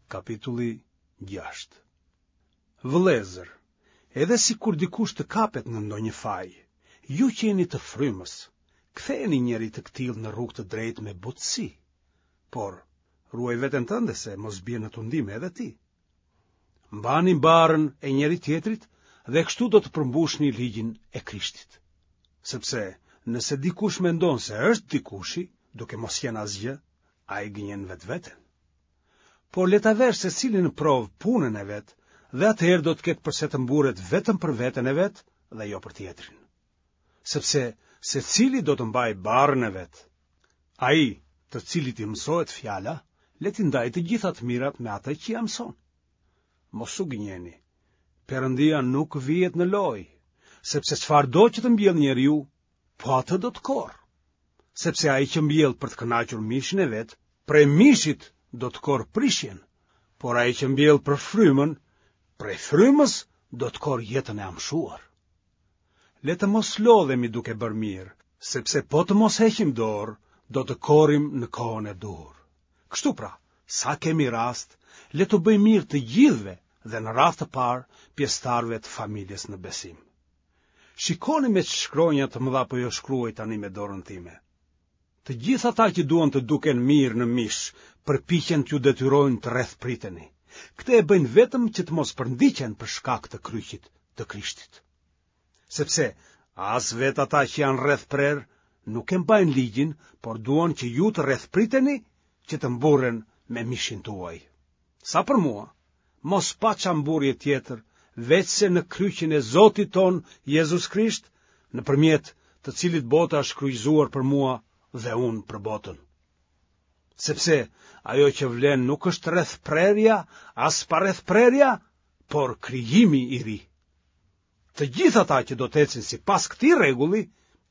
Kapitulli 6 Vëllezër, edhe sikur dikush të kapet në ndonjë faj, ju që jeni të frymës, kthejeni njeri të këtillë në rrugë të drejtë me butësi. Por, ruaj veten tënde se mos bie në tundim edhe ti. Mbani barrën e njëri-tjetrit dhe kështu do të përmbushni ligjin e Krishtit. Sepse, nëse dikush mendon se është dikushi, duke mos qenë asgjë, ai gënjen vetveten. Por le ta verë secili në provë punën e vet dhe atëherë do të ketë përse të mburret vetëm për veten e vet dhe jo për tjetrin. Sepse secili do të mbajë barrën e vet. Ai, të cilit i mësohet fjala, le t'i ndajë të gjitha të mirat me atë që ia mëson. Mos u gënjeni. Perëndia nuk vihet në lojë, sepse çfarëdo që të mbjellë njeriu, po atë do të korrë. Sepse ai që mbjell për të kënaqur mishin e vet, prej mishit do të korrë prishjen, por ai që mbjell për frymën, prej frymës do të korrë jetën e amshuar. Le të mos lodhemi duke bërë mirë, sepse po të mos heqim dorë, do të korrim në kohën e duhur. Kështu pra, sa kemi rast, le t'u bëjmë mirë të gjithëve dhe në radhë të parë pjesëtarëve të familjes në besim. Shikoni me ç'shkronja të mëdha po ju shkruaj tani me dorën time. Të gjithë ata që duan të duken mirë në mish, përpiqen t'ju detyrojnë të rrethpriteni. Këtë e bëjnë vetëm që të mos përndiqen për shkak të kryqit të Krishtit. Sepse as vetë ata që janë rrethprerë nuk e mbajnë ligjin, por duan që ju të rrethpriteni që të mburren me mishin tuaj. Sa për mua, mos paça mburrje tjetër, veçse në kryqin e Zotit tonë Jezus Krisht, nëpërmjet të cilit bota është kryqëzuar për mua dhe unë për botën. Sepse ajo që vlen nuk është rrethprerja, as parrethprerja, por krijimi i ri. Të gjithë ata që do të ecin sipas këtij rregulli,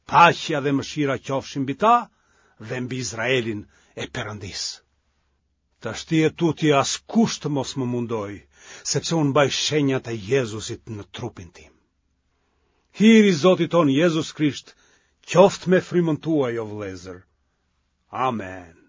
paqja dhe mëshira qofshin mbi ta dhe mbi Izraelin e Perëndisë. Tashti e tutje askush të mos më mundojë, sepse unë mbaj shenjat e Jezusit në trupin tim. Hiri i Zotit tonë Jezus Krisht, qoftë me frymën tuaj, o vëllezër. Amen.